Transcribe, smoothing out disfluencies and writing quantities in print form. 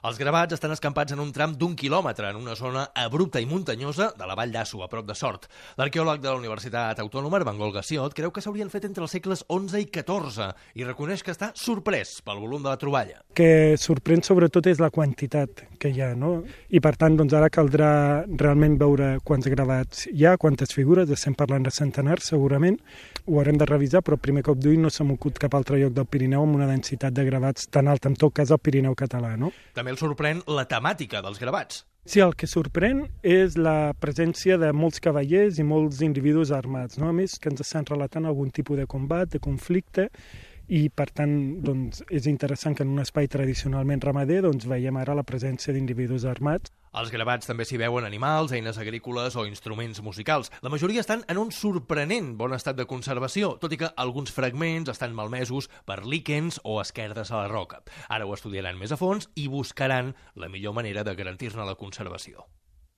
Els gravats estan escampats en un tram d'1 quilòmetre en una zona abrupta i muntanyosa de la Vall d'Asso, a prop de Sort. L'arqueòleg de la Universitat Autònoma, Armengol Gassiot, creu que s'haurien fet entre els segles XI i XIV i reconeix que està sorprès pel volum de la troballa. Que sorprèn sobretot és la quantitat que hi ha, no? I per tant, doncs ara caldrà realment veure quants gravats hi ha, quantes figures, estem parlant de centenars segurament, ho haurem de revisar, però primer cop d'ull no se m'acut cap altre lloc del Pirineu amb una densitat de gravats tan alta, en tot cas el Pirineu català, no? També el sorprèn la temàtica dels gravats. Sí, el que sorprèn és la presència de molts cavallers i molts individus armats, no? A més, que ens estan relatant algun tipus de combat, de conflicte, i per tant doncs, és interessant que en un espai tradicionalment ramader doncs, veiem ara la presència d'individus armats. Als gravats també s'hi veuen animals, eines agrícoles o instruments musicals. La majoria estan en un sorprenent bon estat de conservació, tot i que alguns fragments estan malmesos per líquens o esquerdes a la roca. Ara ho estudiaran més a fons i buscaran la millor manera de garantir-ne la conservació.